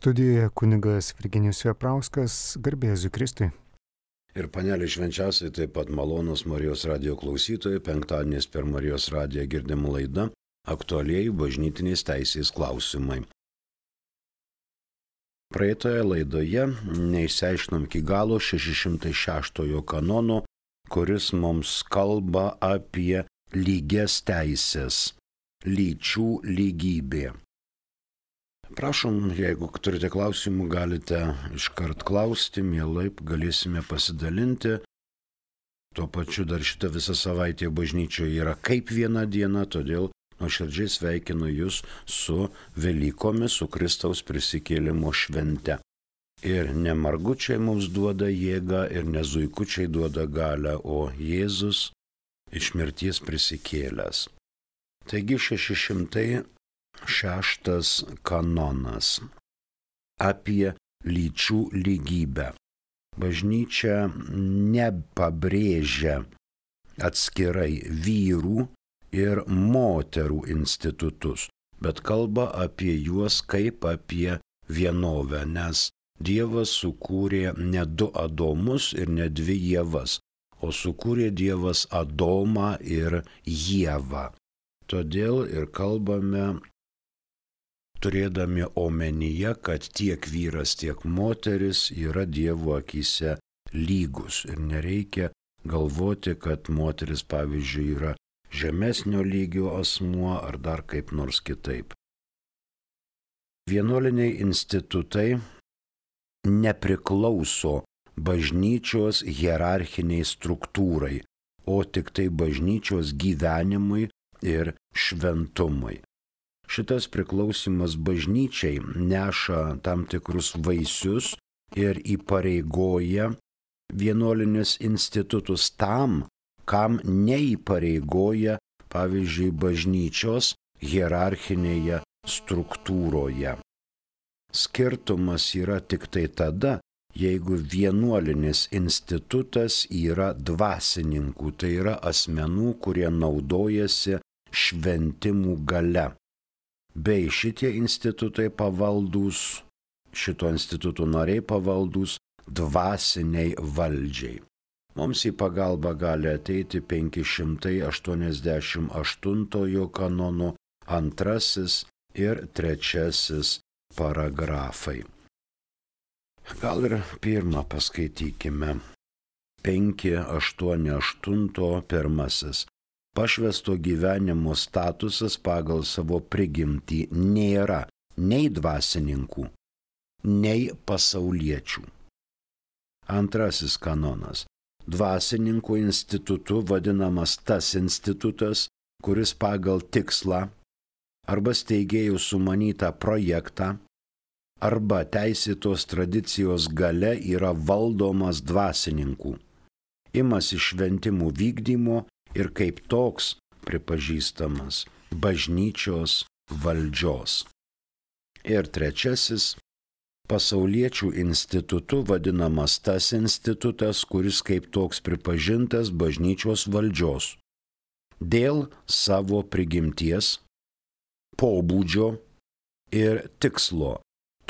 Studijoje kunigas Virginijus Veprauskas, garbė Jėzui Kristui. Ir panelė švenčiausiai taip pat malonūs Marijos radijo klausytojai, penktadieniais per Marijos radiją girdima laida aktualieji bažnytinės teisės klausimai. Praeitoje laidoje neišsiaiškinom iki galo 606 kanono, kuris mums kalba apie lygias teisės, lyčių lygybė. Prašom, jeigu turite klausimų, galite iškart klausti, mielai galėsime pasidalinti. Tuo pačiu dar šitą visą savaitę bažnyčioje yra kaip viena diena, todėl nuoširdžiai sveikinu Jūs su Velykomis, su Kristaus prisikėlimo švente. Ir ne margučiai mums duoda jėgą ir ne zuikučiai duoda galią, o Jėzus iš mirties prisikėlęs. Taigi 606 kanonas apie lyčių lygybę. Bažnyčia nepabrėžia atskirai vyrų ir moterų institutus, bet kalba apie juos kaip apie vienovę, nes Dievas sukūrė ne du Adomus ir ne dvi Ievas, o sukūrė Dievas Adomą ir Ievą. Todėl ir kalbame, turėdami omenyje, kad tiek vyras, tiek moteris yra Dievo akyse lygus. Ir nereikia galvoti, kad moteris, pavyzdžiui, yra žemesnio lygio asmuo ar dar kaip nors kitaip. Vienuoliniai institutai nepriklauso bažnyčios hierarchiniai struktūrai, o tik tai bažnyčios gyvenimui ir šventumui. Šitas priklausimas bažnyčiai neša tam tikrus vaisius ir įpareigoja vienuolinius institutus tam, kam neįpareigoja, pavyzdžiui, bažnyčios hierarchinėje struktūroje. Skirtumas yra tik tai tada, jeigu vienuolinis institutas yra dvasininkų, tai yra asmenų, kurie naudojasi šventimų galia. Bei šitie institutai pavaldūs, šito instituto nariai pavaldūs dvasiniai valdžiai. Mums į pagalbą gali ateiti 588 kanono 2 ir 3 paragrafai. Gal ir pirmą paskaitykime. 588 1. Pašvęsto gyvenimo statusas pagal savo prigimtį nėra nei dvasininkų, nei pasauliečių. 2 kanonas. Dvasininkų institutu vadinamas tas institutas, kuris pagal tikslą arba steigėjų sumanytą projektą arba teisėtos tradicijos galia yra valdomas dvasininkų, imasi šventimų vykdymo ir kaip toks pripažįstamas bažnyčios valdžios. Ir 3. Pasauliečių institutu vadinamas tas institutas, kuris kaip toks pripažintas bažnyčios valdžios dėl savo prigimties, pobūdžio ir tikslo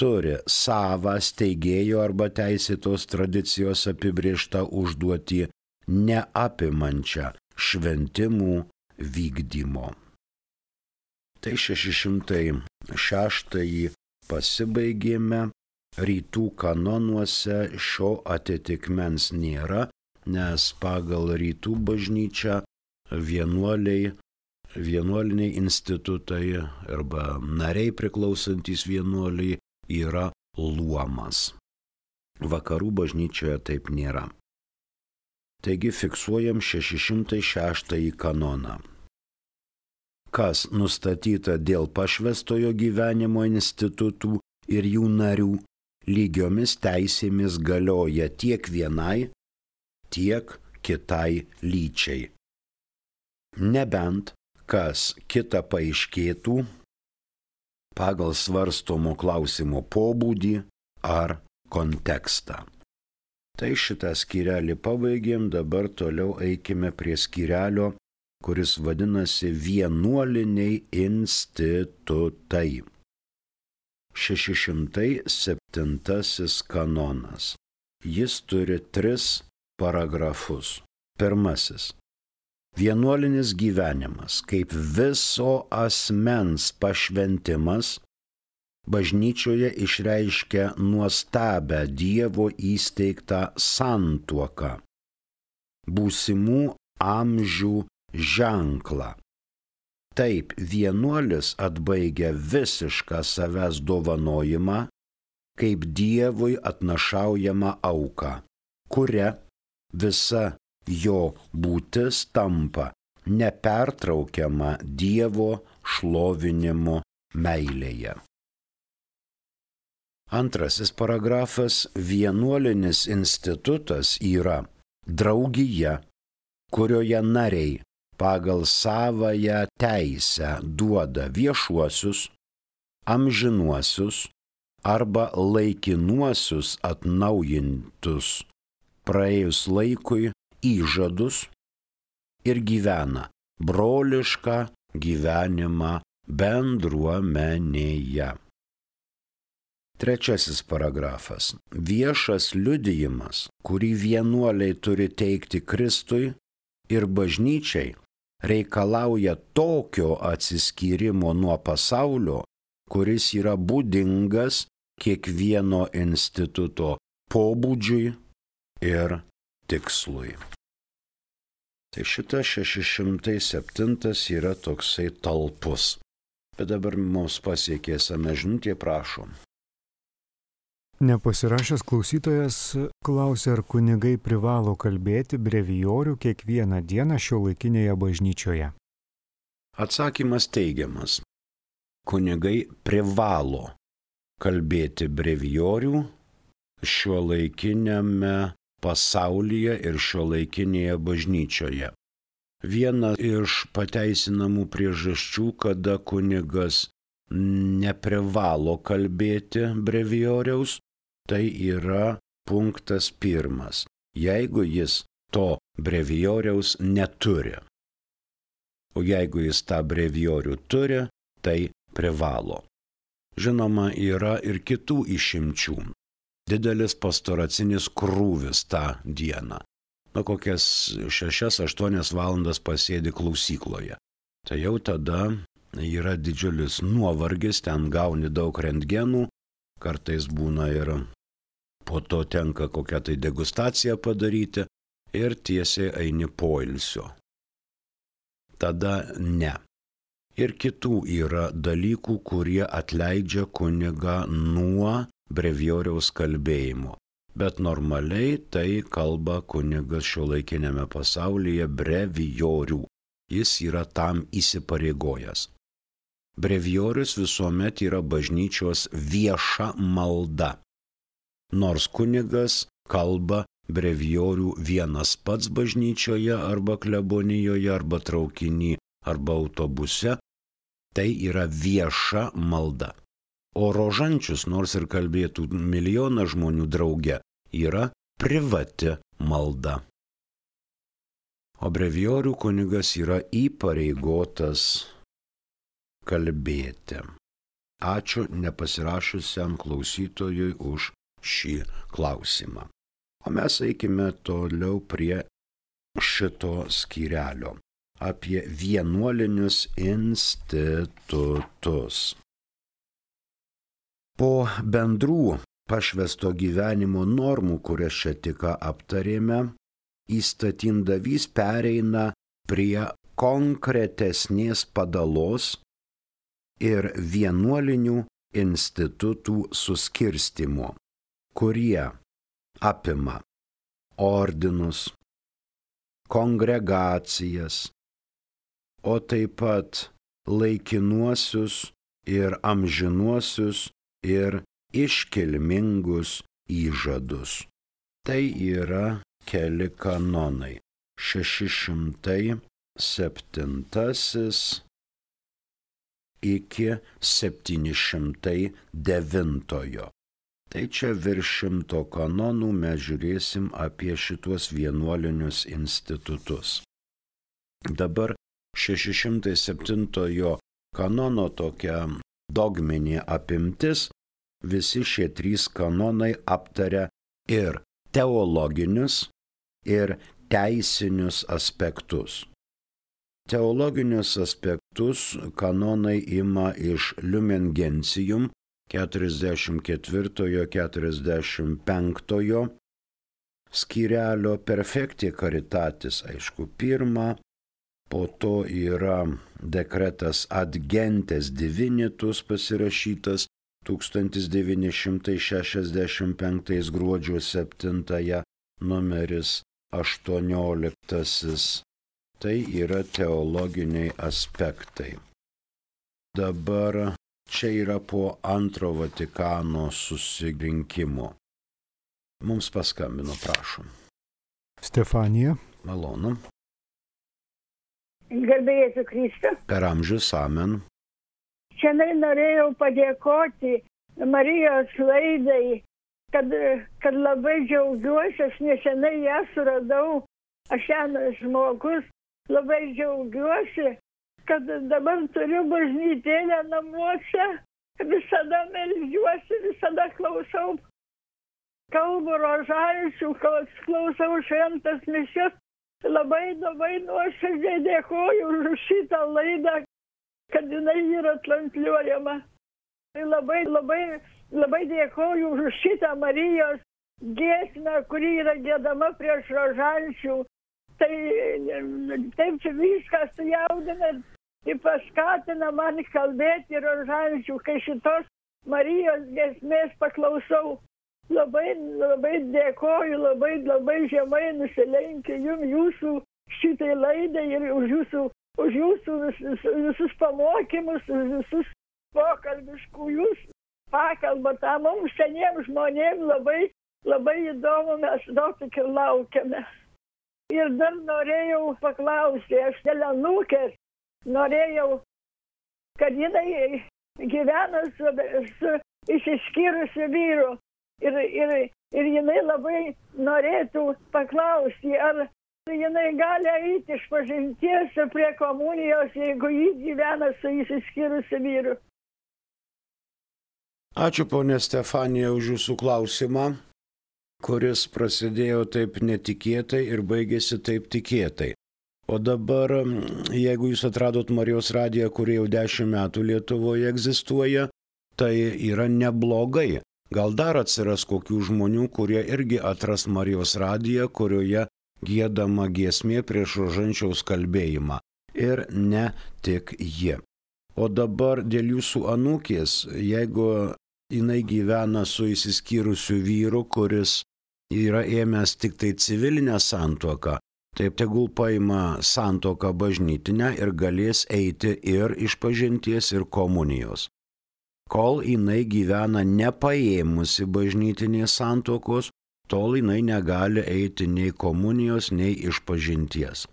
turi savą steigėjo arba teisėtos tradicijos apibrėžtą užduotį neapimančią šventimų vykdymo. Tai 606 pasibaigėme, rytų kanonuose šio atitikmens nėra, nes pagal rytų bažnyčią vienuoliniai institutai arba nariai priklausantys vienuoliai yra luomas. Vakarų bažnyčioje taip nėra. Taigi fiksuojam 606 kanoną. Kas nustatyta dėl pašvęstojo gyvenimo institutų ir jų narių, lygiomis teisėmis galioja tiek vienai, tiek kitai lyčiai. Nebent kas kita paaiškėtų pagal svarstomo klausimo pobūdį ar kontekstą. Tai šitą skyrelį pabaigėm, dabar toliau eikime prie skyrelio, kuris vadinasi vienuoliniai institutai. 607 kanonas. Jis turi 3 paragrafus. Pirmasis. Vienuolinis gyvenimas kaip viso asmens pašventimas bažnyčioje išreiškia nuostabią Dievo įsteigtą santuoką, būsimų amžių ženklą. Taip, vienuolis atbaigia visišką savęs dovanojimą kaip Dievui atnašaujamą auką, kuria visa jo būtis tampa nepertraukiama Dievo šlovinimo meilėje. Antrasis paragrafas. Vienuolinis institutas yra draugija, kurioje nariai pagal savąją teisę duoda viešuosius, amžinuosius arba laikinuosius atnaujintus praėjus laikui įžadus ir gyvena brolišką gyvenimą bendruomenėje. Trečiasis paragrafas. Viešas liudijimas, kurį vienuoliai turi teikti Kristui ir bažnyčiai, reikalauja tokio atsiskyrimo nuo pasaulio, kuris yra būdingas kiekvieno instituto pobūdžiui ir tikslui. Tai šitas 607 yra toksai talpus. Bet dabar mums pasiekė esame žinutė, prašom. Nepasirašęs klausytojas klausė, ar kunigai privalo kalbėti brevijorių kiekvieną dieną šiuolaikinėje bažnyčioje. Atsakymas teigiamas. Kunigai privalo kalbėti brevijorių šiuolaikinėme pasaulyje ir šiuolaikinėje bažnyčioje. Viena iš pateisinamų priežasčių, kada kunigas neprivalo kalbėti brevijoriaus, tai yra punktas 1. Jeigu jis to brevijoriaus neturi. O jeigu jis tą brevijorių turi, tai privalo. Žinoma, yra ir kitų išimčių. Didelis pastoracinis krūvis tą dieną. Kokias 6-8 valandas pasėdi klausykloje. Tai jau tada yra didžiulis nuovargis, ten gauni daug rentgenų, kartais būna ir po to tenka kokią tai degustaciją padaryti ir tiesiai eini poilsio. Tada ne. Ir kitų yra dalykų, kurie atleidžia kunigą nuo brevijoriaus kalbėjimo. Bet normaliai tai kalba kunigas šiuolaikinėme pasaulyje brevijorių. Jis yra tam įsipareigojęs. Brevijorius visuomet yra bažnyčios vieša malda. Nors kunigas kalba brevijorių vienas pats bažnyčioje arba klebonijoje arba traukiny arba autobuse, tai yra vieša malda. O rožančius, nors ir kalbėtų milijoną žmonių drauge, yra privati malda. O brevijorių kunigas yra įpareigotas kalbėti. Ačiū nepasirašusiam klausytojui už šį klausimą. O mes eikime toliau prie šito skyrelio apie vienuolinius institutus. Po bendrų pašvęsto gyvenimo normų, kurias čia tik aptarėme, įstatindavys pereina prie konkretesnės padalos ir vienuolinių institutų suskirstimo, kurie apima ordinus, kongregacijas, o taip pat laikinuosius ir amžinuosius ir iškilmingus įžadus. Tai yra keli kanonai. 607 iki 709. Tai čia virš 100 kanonų mes žiūrėsim apie šitos vienuolinius institutus. Dabar 607 kanono tokia dogminė apimtis visi šie 3 kanonai aptaria ir teologinius, ir teisinius aspektus. Teologinius aspektus kanonai ima iš Lumen Gentium 44-45 skyrelio, Perfecti Caritatis, aišku, 1, po to yra dekretas Ad Gentes Divinitus pasirašytas 1965 gruodžio 7, numeris 18. Tai yra teologiniai aspektai. Dabar čia yra po Antro Vatikano susirinkimo. Mums paskambino, prašom. Stefanija. Malonu. Garbėjai Kristų. Per amžius, amen. Šiandien norėjau padėkoti Marijos laidai, kad labai džiaugiuosi, aš nesenai ją suradau, aš senas žmogus, labai džiaugiuosi, kad dabar turiu bažnytėlę namuose, visada meldžiuosi, visada klausau, kalbu rožančių, klausau šventas mišias, labai nuoširdžiai dėkoju už šitą laidą, kad jinai yra transliuojama. Labai dėkoju už šitą Marijos giesmę, kuri yra giedama prieš rožančių. Tai taip čia viskas sujaudina ir paskatina man kalbėti rožančių, kai šitos Marijos giesmės paklausau. Labai dėkoju, labai žemai nusilenkiu jūsų šitai laidai ir už jūsų visus pamokymus, už visus pokalbius, kur jūs pakalbate. Mums seniems žmonėms labai įdomu, mes daug tik ir laukiame. Ir dar norėjau paklausti, aš dėl anūkės norėjau, kad jinai gyvena su išsiskyrusiu vyru. Ir jinai labai norėtų paklausti, ar jinai gali eiti iš pažinties prie komunijos, jeigu ji gyvena su išsiskyrusiu vyru. Ačiū, ponė Stefanija, už jūsų klausimą, kuris prasidėjo taip netikėtai ir baigėsi taip tikėtai. O dabar, jeigu jūs atradot Marijos radiją, kuri jau 10 metų Lietuvoje egzistuoja, tai yra neblogai. Gal dar atsiras kokių žmonių, kurie irgi atras Marijos radiją, kurioje giedama giesmė prieš rožančiaus kalbėjimą. Ir ne tik jie. O dabar dėl jūsų anūkės, jeigu jinai gyvena su išsiskyrusiu vyru, kuris yra ėmęs tik tai civilinę santuoką, taip tegul paima santuoką bažnytinę ir galės eiti ir išpažinties, ir komunijos. Kol jinai gyvena nepaėmusi bažnytinės santuokos, tol jinai negali eiti nei komunijos, nei išpažinties.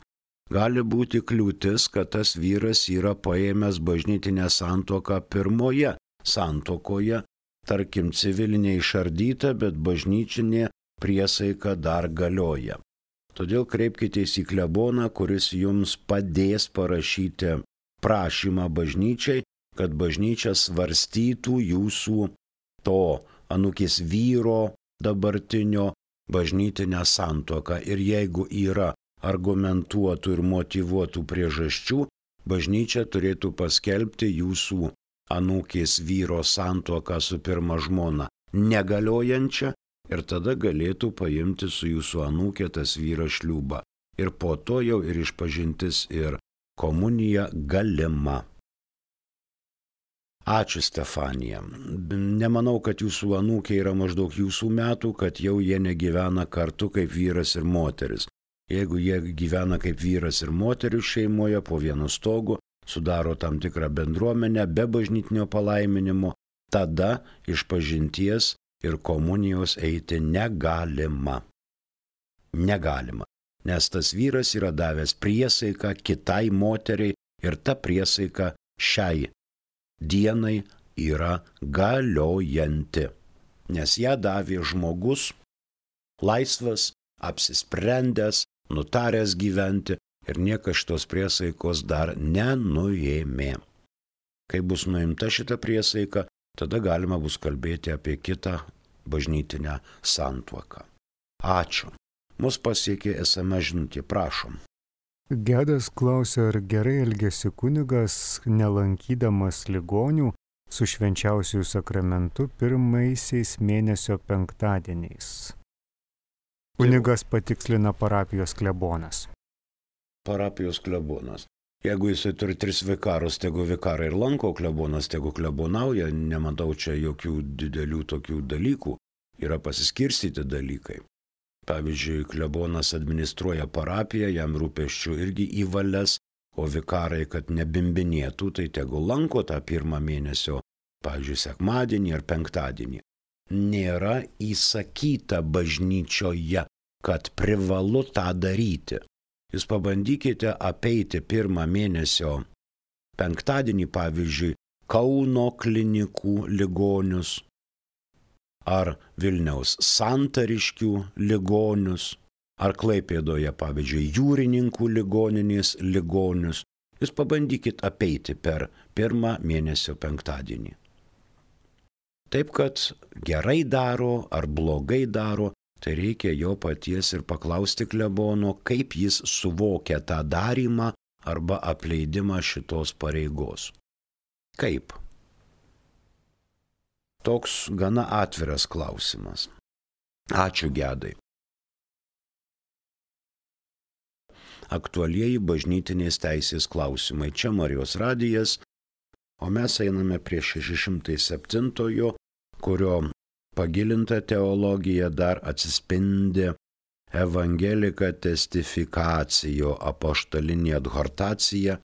Gali būti kliūtis, kad tas vyras yra paėmęs bažnytinę santuoką pirmoje santuokoje, tarkim civilinė išardyta, bet bažnyčinė priesaika dar galioja. Todėl kreipkitės į kleboną, kuris jums padės parašyti prašymą bažnyčiai, kad bažnyčia svarstytų jūsų to anūkės vyro dabartinio bažnytinę santuoką. Ir jeigu yra argumentuotų ir motyvuotų priežasčių, bažnyčia turėtų paskelbti jūsų anūkės vyro santuoką su pirma žmona negaliojančią ir tada galėtų paimti su jūsų anūkė tas vyras šliūbą. Ir po to jau ir išpažintis, ir komunija galima. Ačiū, Stefanija. Nemanau, kad jūsų anūkė yra maždaug jūsų metų, kad jau jie negyvena kartu kaip vyras ir moteris. Jeigu jie gyvena kaip vyras ir moteris šeimoje po vienu stogu, sudaro tam tikrą bendruomenę be bažnytinio palaiminimo, tada išpažinties ir komunijos eiti negalima. Negalima, nes tas vyras yra davęs priesaiką kitai moteriai ir ta priesaika šiai dienai yra galiojanti, nes ją davė žmogus laisvas, apsisprendęs, nutaręs gyventi ir niekas šitos priesaikos dar nenuėmė. Kai bus nuimta šita priesaika, tada galima bus kalbėti apie kitą bažnytinę santuoką. Ačiū. Mus pasiekė SMS žinutė, prašom. Gedas klausia, ar gerai elgėsi kunigas, nelankydamas ligonių su švenčiausiųjų sakramentu pirmaisiais mėnesio penktadieniais. Kunigas patikslina parapijos klebonas. Parapijos klebonas. Jeigu jisai turi 3 vikarus, tegu vikarai ir lanko, klebonas tegu klebonauja, nematau čia jokių didelių tokių dalykų, yra pasiskirstyti dalykai. Pavyzdžiui, klebonas administruoja parapiją, jam rūpesčių irgi įvalės, o vikarai, kad nebimbinėtų, tai tegu lanko tą pirmą mėnesio, pavyzdžiui, sekmadienį ar penktadienį. Nėra įsakyta bažnyčioje, kad privalu tą daryti. Jūs pabandykite apeiti pirmą mėnesio penktadienį, pavyzdžiui, Kauno klinikų ligonius ar Vilniaus Santariškių ligonius, ar Klaipėdoje, pavyzdžiui, Jūrininkų ligoninės ligonius. Jūs pabandykite apeiti per pirmą mėnesio penktadienį. Taip, kad gerai daro ar blogai daro, tai reikia jo paties ir paklausti klebono, kaip jis suvokia tą darymą arba apleidimą šitos pareigos. Kaip? Toks gana atviras klausimas. Ačiū, Gedai. Aktualieji bažnytinės teisės klausimai. Čia Marijos radijas, o mes einame prie 607, kurio pagilinta teologija dar atsispindi Evangelika Testificacio apaštalinė adhortacija,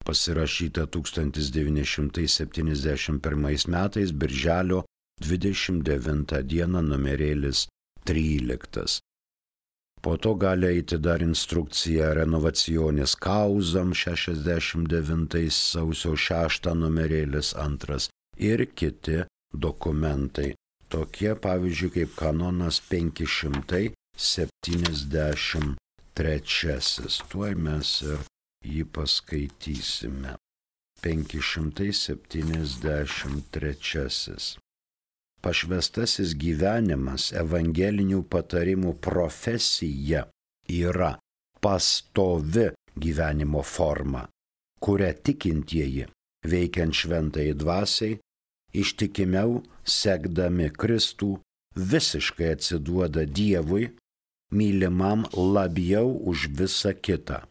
pasirašyta 1971 metais, birželio 29 dieną, numerėlis 13. Po to gali eiti dar instrukcija Renovacionis Causam 69 sausio 6 numerėlis 2 ir kiti dokumentai. Tokie, pavyzdžiui, kaip kanonas 573. Tuoj mes ir jį paskaitysime. 573. Pašvęstasis gyvenimas, evangelinių patarimų profesija yra pastovi gyvenimo forma, kurią tikintieji, veikiant šventai dvasiai, ištikimiau sekdami Kristų, visiškai atsiduoda Dievui, mylimam labiau už visą kitą,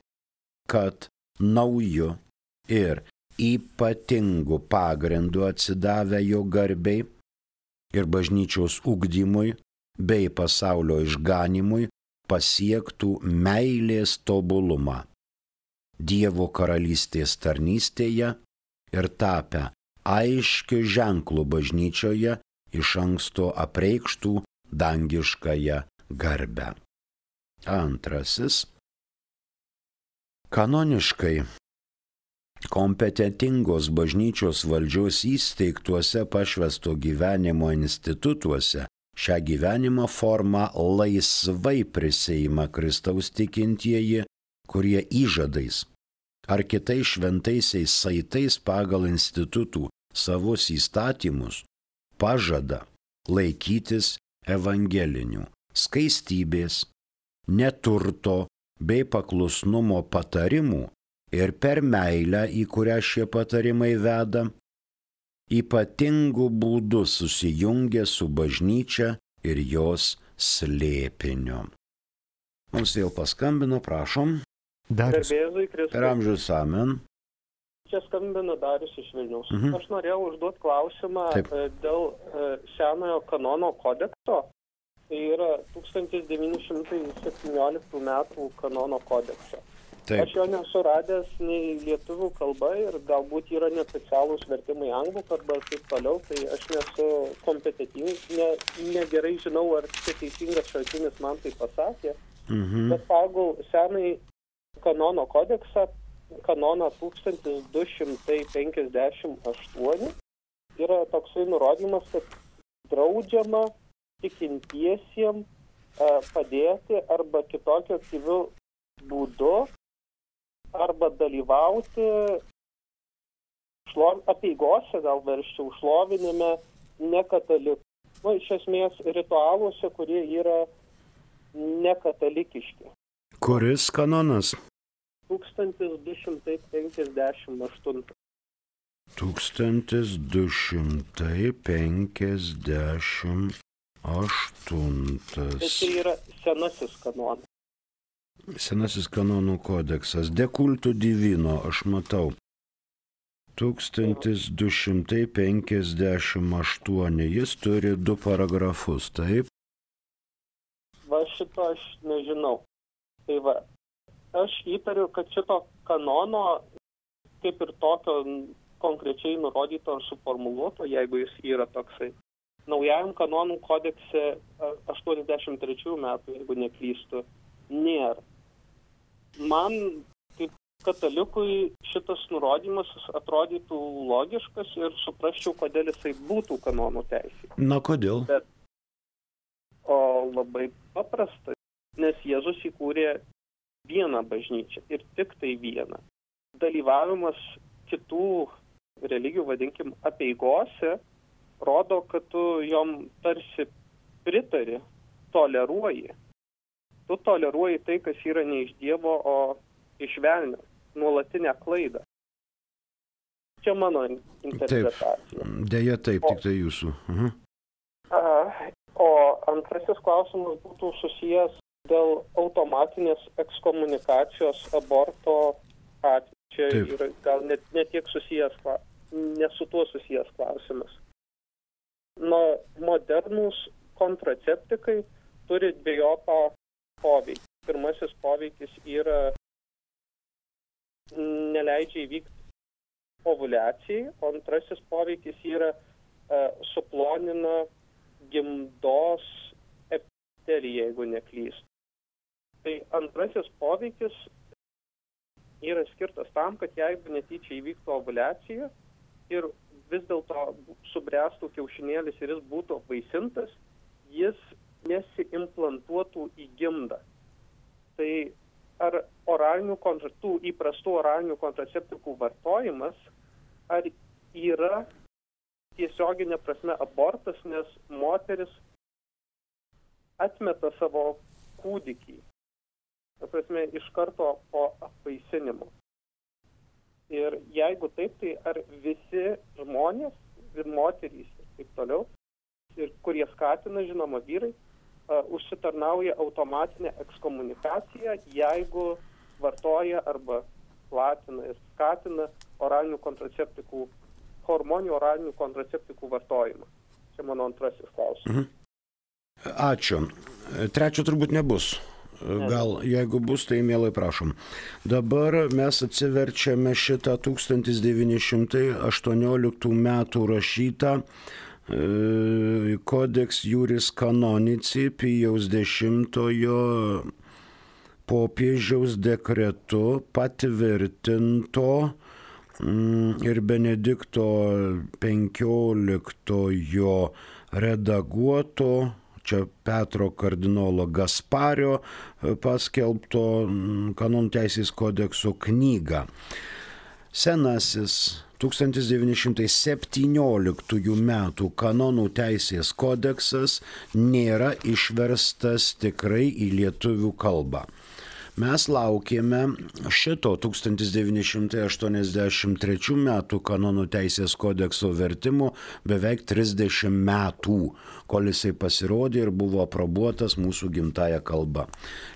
kad nauju ir ypatingu pagrindu atsidavę jo garbei ir bažnyčios ugdymui bei pasaulio išganimui pasiektų meilės tobulumą Dievo karalystės tarnystėje ir tapę aiškiu ženklu bažnyčioje iš anksto apreikštų dangiškąją garbę. Antrasis. Kanoniškai kompetentingos bažnyčios valdžios įsteigtuose pašvęsto gyvenimo institutuose šią gyvenimo formą laisvai prisiima Kristaus tikintieji, kurie įžadais ar kitais šventaisiais saitais pagal institutų savus įstatymus pažada laikytis evangelinių skaistybės, neturto bei paklusnumo patarimų ir per meilę, į kurią šie patarimai veda, ypatingų būdų susijungia su bažnyčia ir jos slėpiniu. Mums vėl paskambino, prašom. Darius. Per amžius amen. Čia skambina Darius iš Vilniaus. Aš norėjau užduoti klausimą dėl senojo kanono kodekso. Tai yra 1917 metų kanono kodekso. Taip. Aš jo nesu radęs nei lietuvių kalba ir galbūt yra neoficialūs vertimai anglų kalba ir taip toliau, tai aš nesu kompetentingas, negerai žinau, ar čia teisingas šaltinis man tai pasakė. Bet pagal senai kanono kodeksą, kanoną 1258, yra toksai nurodymas, kad draudžiama tikintiesiems padėti arba kitokio aktyviu būdu arba dalyvauti apeigose, gal versčiau, šlovinime nekatalikų. Iš esmės ritualuose, kurie yra nekatalikiški. Kuris kanonas? 1258. 1258. Tai yra senasis kanonas. Senasis kanonų kodeksas. De culto divino, aš matau. 1258. Jis turi 2 paragrafus, taip? Va šito aš nežinau. Tai va, aš įtariu, kad šito kanono, kaip ir tokio konkrečiai nurodyto ar suformuluoto, jeigu jis yra toksai, naujajam kanonų kodekse 83 metų, jeigu neklystu, nėra. Man, kaip katalikui, šitas nurodymas atrodytų logiškas ir suprasčiau, kodėl jisai būtų kanonų teisė. Na, kodėl? O labai paprasta, nes Jėzus įkūrė vieną bažnyčią ir tik tai vieną. Dalyvavimas kitų religijų, vadinkim, apeigose, rodo, kad tu jom tarsi pritari, toleruoji. Tu toleruoji tai, kas yra ne iš Dievo, o iš velnio, nuolatinę klaidą. Čia mano interpretacija. Taip, deja taip, tik tai jūsų. O antrasis klausimas būtų susijęs dėl automatinės ekskomunikacijos aborto atveju. Čia yra gal ne tiek susijęs, ne su tuo susijęs klausimas. Modernūs kontraceptikai turi dviejopą poveikį. Pirmasis poveikis yra neleidžia įvykti ovuliacijai, o antrasis poveikis yra suplonina gimdos epiteliją, jeigu neklystu. Tai antrasis poveikis yra skirtas tam, kad jeigu netyčia įvyktų ovuliacija ir vis dėlto subręstų kiaušinėlis ir jis būtų apvaisintas, jis nesiimplantuotų į gimdą. Tai ar tų įprastų oralinių kontraceptikų vartojimas, ar yra tiesioginė prasme abortas, nes moteris atmeta savo kūdikį, prasme, iš karto po apvaisinimo. Ir jeigu taip, tai ar visi žmonės ir moterys ir taip toliau, ir kurie skatina, žinoma, vyrai, užsitarnauja automatinę ekskomunikaciją, jeigu vartoja arba platina ir skatina hormoninių oralinių kontraceptikų vartojimą. Čia mano antrasis klausimas. Ačiū. Trečio turbūt nebus. Gal jeigu bus, tai mielai prašom. Dabar mes atsiverčiame šitą 1918 metų rašytą Codex Juris Canonici Pijaus X popiežiaus dekretu patvirtinto ir Benedikto XV redaguoto, čia Petro kardinolo Gaspario paskelbto kanonų teisės kodekso knygą. Senasis 1917 metų kanonų teisės kodeksas nėra išverstas tikrai į lietuvių kalbą. Mes laukėme šito 1983 metų kanonų teisės kodekso vertimo beveik 30 metų, kol jisai pasirodė ir buvo aprobuotas mūsų gimtąja kalba.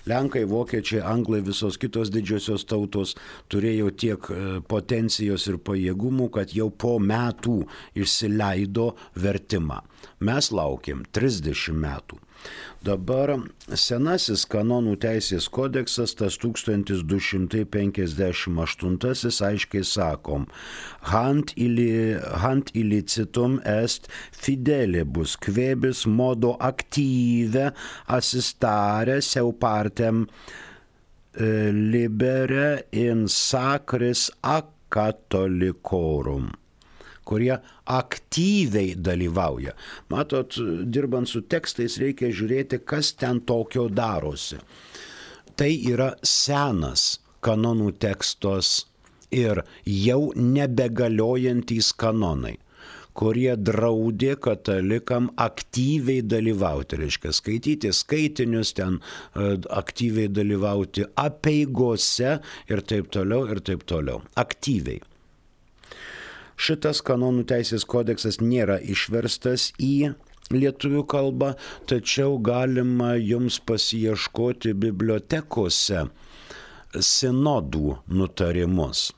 Lenkai, vokiečiai, anglai, visos kitos didžiosios tautos turėjo tiek potencijos ir pajėgumų, kad jau po metų išsileido vertimą. Mes laukėm 30 metų. Dabar senasis kanonų teisės kodeksas, tas 1258, aiškiai sakom, Hant illicitum est fidelibus quebis modo active assistare seu partem libere in sacris catholicorum, kurie aktyviai dalyvauja. Matot, dirbant su tekstais reikia žiūrėti, kas ten tokio darosi. Tai yra senas kanonų tekstos ir jau nebegaliojantis kanonai, kurie draudė katalikam aktyviai dalyvauti, reiškia skaityti skaitinius, ten aktyviai dalyvauti apeigose ir taip toliau, aktyviai. Šitas kanonų teisės kodeksas nėra išverstas į lietuvių kalbą, tačiau galima jums pasiieškoti bibliotekose sinodų nutarimus.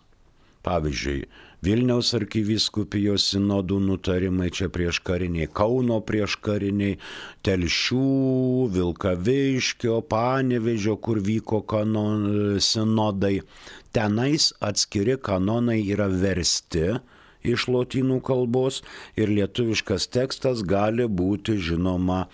Pavyzdžiui, Vilniaus arkivyskupijos sinodų nutarimai čia prieškariniai, Kauno prieškariniai, Telšių, Vilkaviškio, Panevėžio, kur vyko sinodai. Tenais atskiri kanonai yra versti iš lotynų kalbos ir lietuviškas tekstas gali būti, žinoma,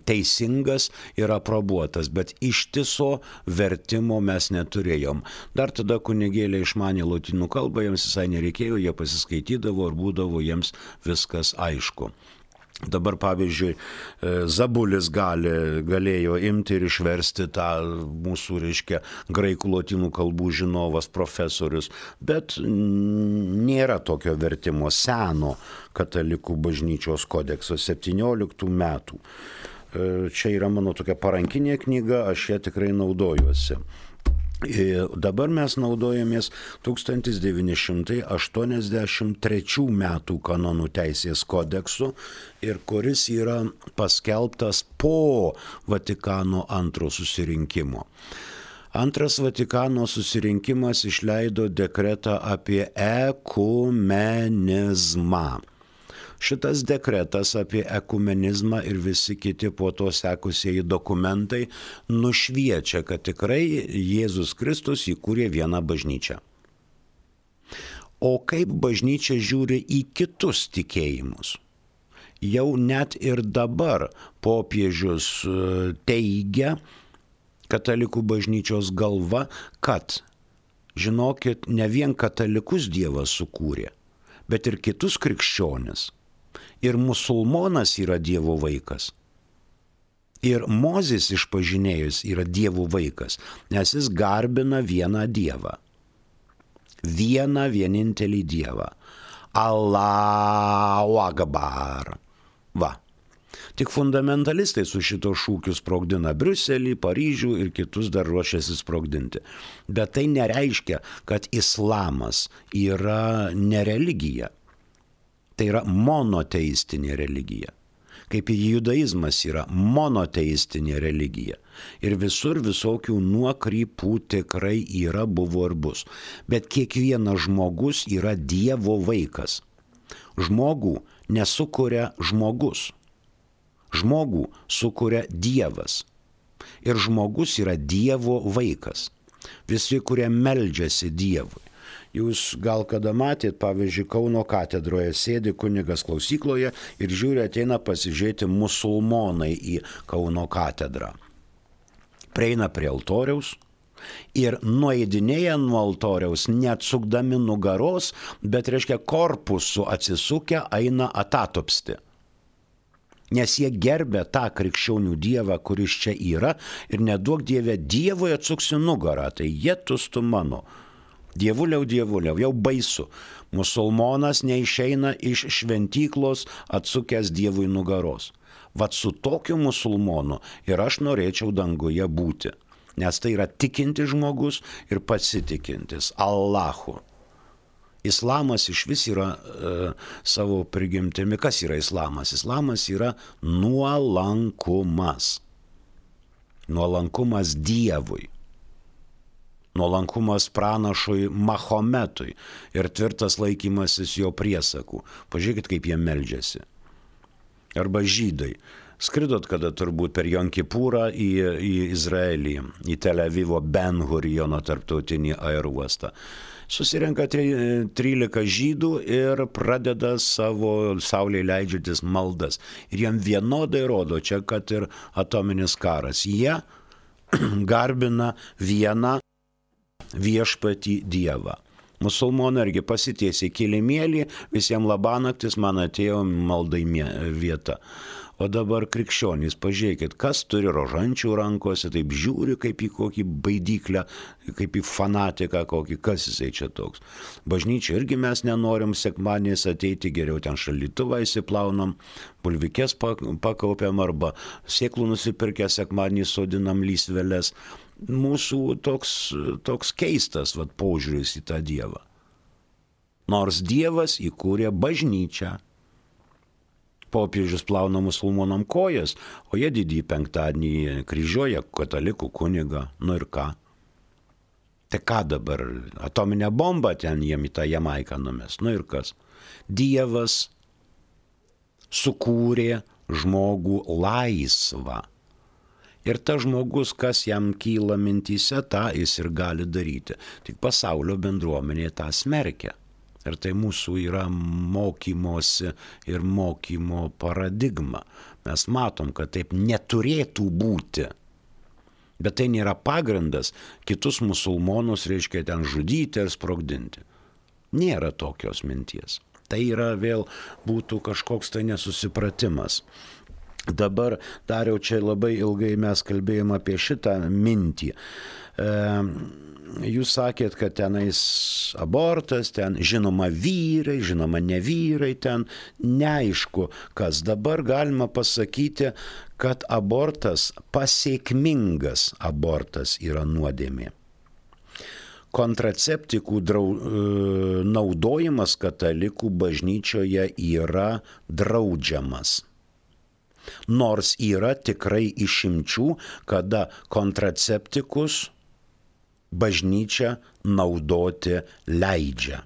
teisingas ir aprobuotas, bet ištiso vertimo mes neturėjom. Dar tada kunigėliai išmanė lotynų kalbą, jiems visai nereikėjo, jie pasiskaitydavo ir būdavo jiems viskas aišku. Dabar, pavyzdžiui, Zabulis galėjo imti ir išversti tą mūsų, reiškia, graikų lotynų kalbų žinovas profesorius, bet nėra tokio vertimo seno katalikų bažnyčios kodekso 17 metų. Čia yra mano tokia parankinė knyga, aš ją tikrai naudojuosi. Dabar mes naudojamės 1983 metų kanonų teisės kodeksu, ir kuris yra paskelbtas po Vatikano II susirinkimo. Antras Vatikano susirinkimas išleido dekretą apie ekumenizmą. Šitas dekretas apie ekumenizmą ir visi kiti po to sekusieji dokumentai nušviečia, kad tikrai Jėzus Kristus įkūrė vieną bažnyčią. O kaip bažnyčia žiūri į kitus tikėjimus? Jau net ir dabar popiežius teigia, katalikų bažnyčios galva, kad, žinokit, ne vien katalikus Dievas sukūrė, bet ir kitus krikščionis. Ir musulmonas yra Dievo vaikas. Ir Mozės išpažinėjus yra Dievo vaikas, nes jis garbina vieną Dievą. Vieną vienintelį Dievą. Allahu Akbar. Va. Tik fundamentalistai su šito šūkiu sprogdina Briuselį, Paryžių ir kitus dar ruošiasi sprogdinti. Bet tai nereiškia, kad islamas yra ne religija. Tai yra monoteistinė religija. Kaip ir judaizmas yra monoteistinė religija. Ir visur visokių nuokrypų tikrai yra, buvo ir bus. Bet kiekvienas žmogus yra Dievo vaikas. Žmogų nesukuria žmogus. Žmogų sukuria Dievas. Ir žmogus yra Dievo vaikas. Visi, kurie meldžiasi Dievui. Jūs gal kada matėt, pavyzdžiui, Kauno katedroje sėdi kunigas klausykloje ir žiūri, ateina pasižiūrėti musulmonai į Kauno katedrą. Prieina prie altoriaus ir nueidinėja nuo altoriaus, neatsukdami nugaros, bet, reiškia, korpusu atsisukę eina atatupsti. Nes jie gerbė tą krikščionių Dievą, kuris čia yra, ir neduok Dieve, Dievui atsuksi nugarą, tai jėtus tu mano. Dievuliau, jau baisu. Musulmonas neišeina iš šventyklos atsukęs Dievui nugaros. Vat su tokiu musulmonu ir aš norėčiau danguje būti. Nes tai yra tikintis žmogus ir pasitikintis Allahu. Islamas iš vis yra savo prigimtimi. Kas yra islamas? Islamas yra nuolankumas. Nuolankumas Dievui. Nuolankumas pranašui Mahometui ir tvirtas laikymasis jo priesakų. Pažiūrėkit, kaip jie meldžiasi. Arba žydai. Skridot kada turbūt per Jom Kipurą į Izraelį, į Tel Avivo Ben Guriono tarptautinį aerouostą. Susirenka 13 žydų ir pradeda savo saulei leidžiantis maldas. Ir jam vienodai rodo čia, kad ir atominis karas. Jie garbina vieną viešpatį Dievą. Musulmonai irgi pasitiesė kilimėlį, visiems labanaktis, man atėjo maldai vieta. O dabar krikščionys, pažiūrėkit, kas turi rožančių rankose, taip žiūri kaip į kokį baidyklę, kaip į fanatiką kokį, kas jisai čia toks. Bažnyčia irgi mes nenorim sekmadieniais ateiti, geriau ten šaldytuvą įsiplaunam, bulvikės pakaupiam arba sėklų nusipirkę sekmadienį sodinam lysveles. Mūsų toks keistas požiūris į tą Dievą. Nors Dievas įkūrė bažnyčią. Popiežius plauna musulmonam kojas, o jie didįjį penktadienį kryžiuoja katalikų kunigą. Nu ir ką? Tai ką dabar? Atominę bombą ten jiem į tą Jamaiką numes. Nu ir kas? Dievas sukūrė žmogų laisvą. Ir tas žmogus, kas jam kyla mintyse, tą jis ir gali daryti. Tik pasaulio bendruomenė tą smerkia. Ir tai mūsų yra mokymosi ir mokymo paradigma. Mes matom, kad taip neturėtų būti. Bet tai nėra pagrindas kitus musulmonus, reiškia, ten žudyti ir sprogdinti. Nėra tokios minties. Tai yra vėl būtų kažkoks tai nesusipratimas. Dabar, Dariau, čia labai ilgai mes kalbėjom apie šitą mintį. Jūs sakėt, kad tenais abortas, ten žinoma vyrai, žinoma ne vyrai, ten neaišku, kas dabar galima pasakyti, kad abortas, pasekmingas abortas yra nuodėmė. Kontraceptikų naudojimas katalikų bažnyčioje yra draudžiamas. Nors yra tikrai išimčių, kada kontraceptikus bažnyčia naudoti leidžia.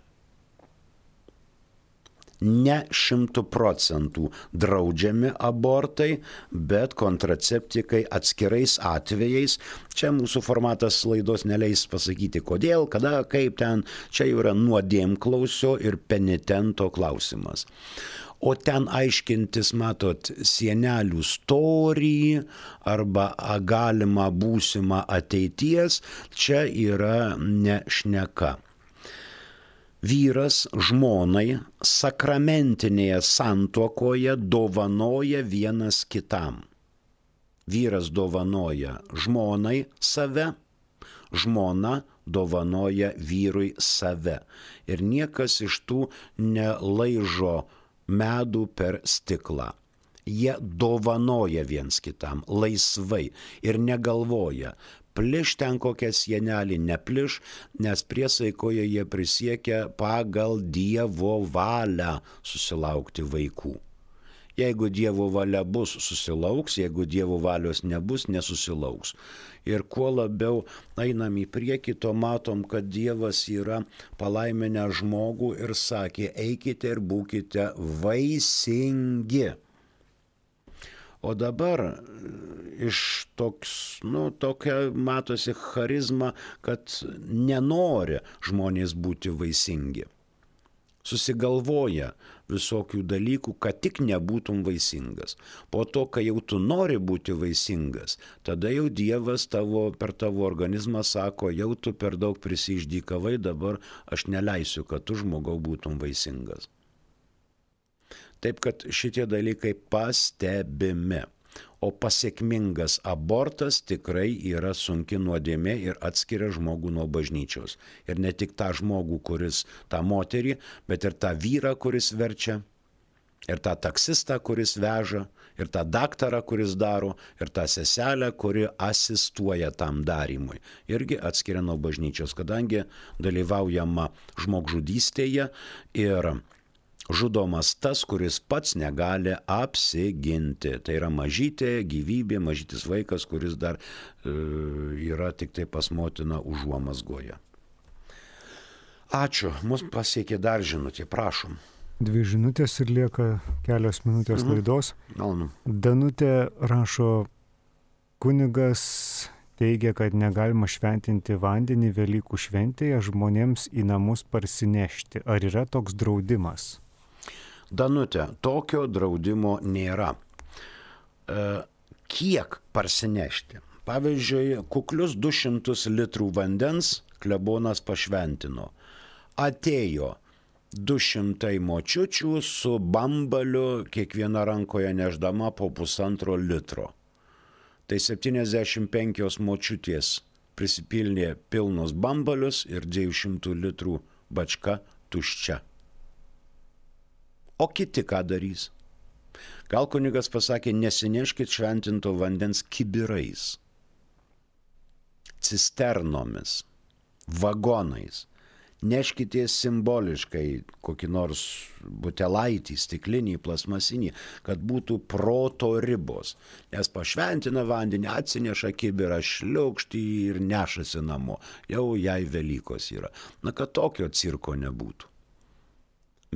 Ne 100% draudžiami abortai, bet kontraceptikai atskirais atvejais. Čia mūsų formatas laidos neleis pasakyti kodėl, kada, kaip ten. Čia jau yra nuodėmklausio ir penitento klausimas. O ten aiškintis, matot, sienelių storį arba galimą būsimą ateities, čia yra ne šneka. Vyras žmonai sakramentinėje santuokoje dovanoja vienas kitam. Vyras dovanoja žmonai save, žmona dovanoja vyrui save. Ir niekas iš tų nelaižo medų per stiklą. Jie dovanoja viens kitam laisvai ir negalvoja, pliš ten kokią sienelį, nepliš, nes priesaikoje jie prisiekia pagal Dievo valią susilaukti vaikų. Jeigu Dievo valia bus, susilauks, jeigu Dievo valios nebus, nesusilauks. Ir kuo labiau einam į priekį, to matom, kad Dievas yra palaiminęs žmogų ir sakė, eikite ir būkite vaisingi. O dabar iš tokia matosi charizma, kad nenori žmonės būti vaisingi. Susigalvoja visokių dalykų, kad tik nebūtum vaisingas. Po to, kai jau tu nori būti vaisingas, tada jau Dievas per tavo organizmą sako, jau tu per daug prisiždykavai, dabar aš neleisiu, kad tu žmogau būtum vaisingas. Taip, kad šitie dalykai pastebimi. O pasekmingas abortas tikrai yra sunki nuodėmė ir atskiria žmogų nuo bažnyčios. Ir ne tik tą žmogų, kuris tą moterį, bet ir tą vyrą, kuris verčia, ir tą taksistą, kuris veža, ir tą daktarą, kuris daro, ir tą seselę, kuri asistuoja tam darymui. Irgi atskiria nuo bažnyčios, kadangi dalyvaujama žmogžudystėje ir žudomas tas, kuris pats negali apsiginti. Tai yra mažytė gyvybė, mažytis vaikas, kuris dar yra tik tai pas motiną užuomazgoje. Ačiū. Mus pasiekė dar žinutė. Prašom. 2 žinutės ir lieka kelios minutės laidos. Malonu. Danutė rašo, kunigas teigia, kad negalima šventinti vandenį Velykų šventėje žmonėms į namus parsinešti. Ar yra toks draudimas? Danutė, tokio draudimo nėra. Kiek parsinešti? Pavyzdžiui, kuklius 200 litrų vandens klebonas pašventino. atėjo 200 močiučių su bambaliu, kiekviena rankoje neždama po 1,5 litro. Tai 75 močiutės prisipilnė pilnus bambalius ir 200 litrų bačka tuščia. O kiti ką darys? Gal kunigas pasakė, nesineškit šventinto vandens kibirais, cisternomis, vagonais. Neškitės simboliškai kokį nors butelaitį, stiklinį, plasmasinį, kad būtų proto ribos. Nes pašventina vandenį, atsineša kibirą, šliaukštį ir nešasi namo. Jau jai Velykos yra. Na, kad tokio cirko nebūtų.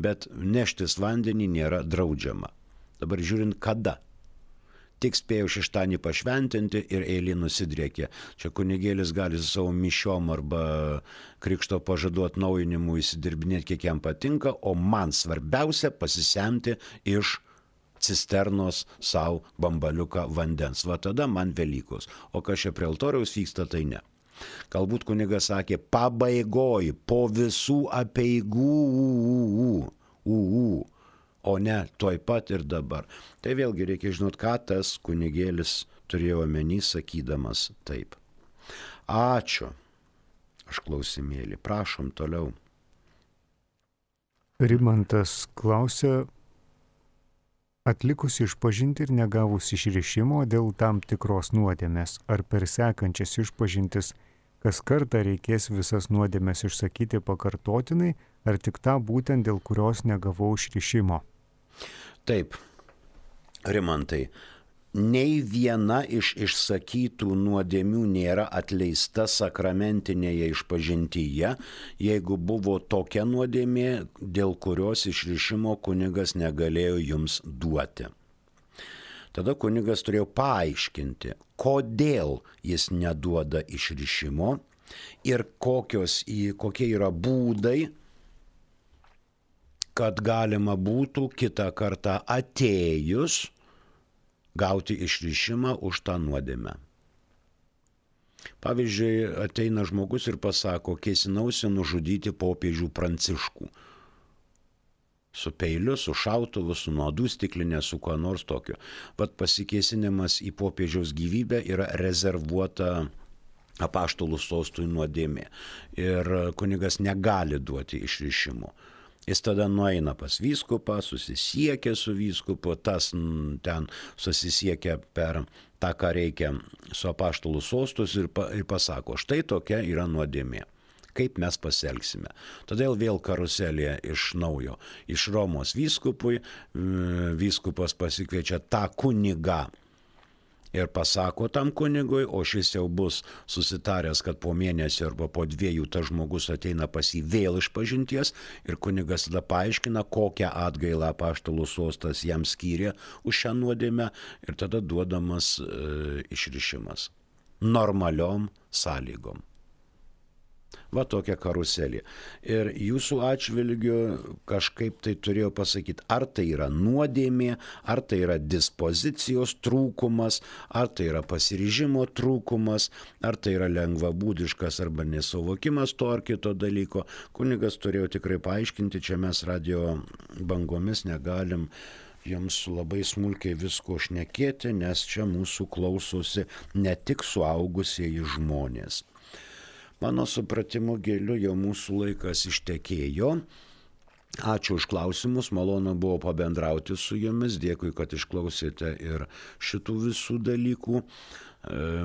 Bet neštis vandenį nėra draudžiama. Dabar žiūrint kada. Tik spėjau šeštadienį pašventinti ir eilė nusidriekė. Čia kunigėlis gali su savo mišiom arba krikšto pažadų atnaujinimu įsidirbinėti, kiek jam patinka, o man svarbiausia pasisemti iš cisternos savo bambaliuką vandens. Va tada man Velykos. O kas čia prie altoriaus vyksta, tai ne. Galbūt kunigas sakė, pabaigoj, po visų apeigų, o ne tuoj pat ir dabar. Tai vėlgi reikia žinot, ką tas kunigėlis turėjo omeny, sakydamas taip. Ačiū. Aš klausimėlį. Prašom toliau. Rimantas klausia, atlikus išpažinti ir negavus išrišimo dėl tam tikros nuodėmės, ar per sekančias išpažintis kas kartą reikės visas nuodėmės išsakyti pakartotinai, ar tik tą būtent dėl kurios negavau išrišimo? Taip, Rimantai, nei viena iš išsakytų nuodėmių nėra atleista sakramentinėje išpažintyje, jeigu buvo tokia nuodėmė, dėl kurios išrišimo kunigas negalėjo jums duoti. Tada kunigas turėjo paaiškinti, kodėl jis neduoda išrišimo ir kokie yra būdai, kad galima būtų kitą kartą atėjus gauti išrišimą už tą nuodėmę. Pavyzdžiui, ateina žmogus ir pasako, kėsinausi nužudyti popiežių Pranciškų. Su peiliu, su šautuvu, su nuodų stiklinė, su kuo nors tokiu. Vat pasikėsinimas į popiežiaus gyvybę yra rezervuota apaštalų sostui nuodėmė. Ir kunigas negali duoti išrišimo. Jis tada nueina pas vyskupą, susisiekia su vyskupu, tas ten susisiekia per tą, ką reikia su apaštalų sostus ir pasako, štai tokia yra nuodėmė. Kaip mes pasielgsime. Todėl vėl karuselė iš naujo. Iš Romos vyskupui, vyskupas pasikviečia tą kunigą ir pasako tam kunigui, o šis jau bus susitaręs, kad po mėnesio arba po 2 tas žmogus ateina pas jį vėl išpažinties ir kunigas tada paaiškina, kokią atgailą apaštalų sostas jam skyrė už šią nuodėmę ir tada duodamas išrišimas. Normaliom sąlygom. Va tokia karuselė. Ir jūsų atžvilgiu kažkaip tai turėjau pasakyti, ar tai yra nuodėmė, ar tai yra dispozicijos trūkumas, ar tai yra pasiryžimo trūkumas, ar tai yra lengvabūdiškas arba nesuvokimas to ar kito dalyko. Kunigas turėjo tikrai paaiškinti, čia mes radio bangomis negalim jums labai smulkiai visko šnekėti, nes čia mūsų klausosi ne tik suaugusieji žmonės. Mano supratimu giliu jau mūsų laikas ištekėjo. Ačiū už klausimus, malonu buvo pabendrauti su jumis, dėkui, kad išklausėte ir šitų visų dalykų.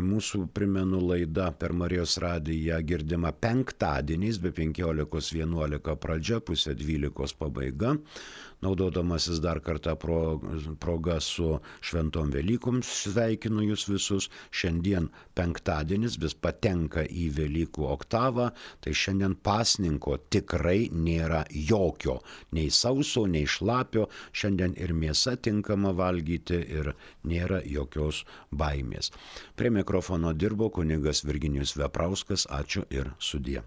Mūsų, primenu, laida per Marijos radiją girdima penktadieniais be 15:11 pradžia, 11:30 pabaiga. Naudodamasis dar kartą proga su šventom Velykom sveikinu jūs visus. Šiandien penktadienis vis patenka į Velykų oktavą, tai šiandien pasninko tikrai nėra jokio, nei sauso, nei šlapio, šiandien ir mėsa tinkama valgyti ir nėra jokios baimės. Prie mikrofono dirbo kunigas Virginijus Veprauskas, ačiū ir sudie.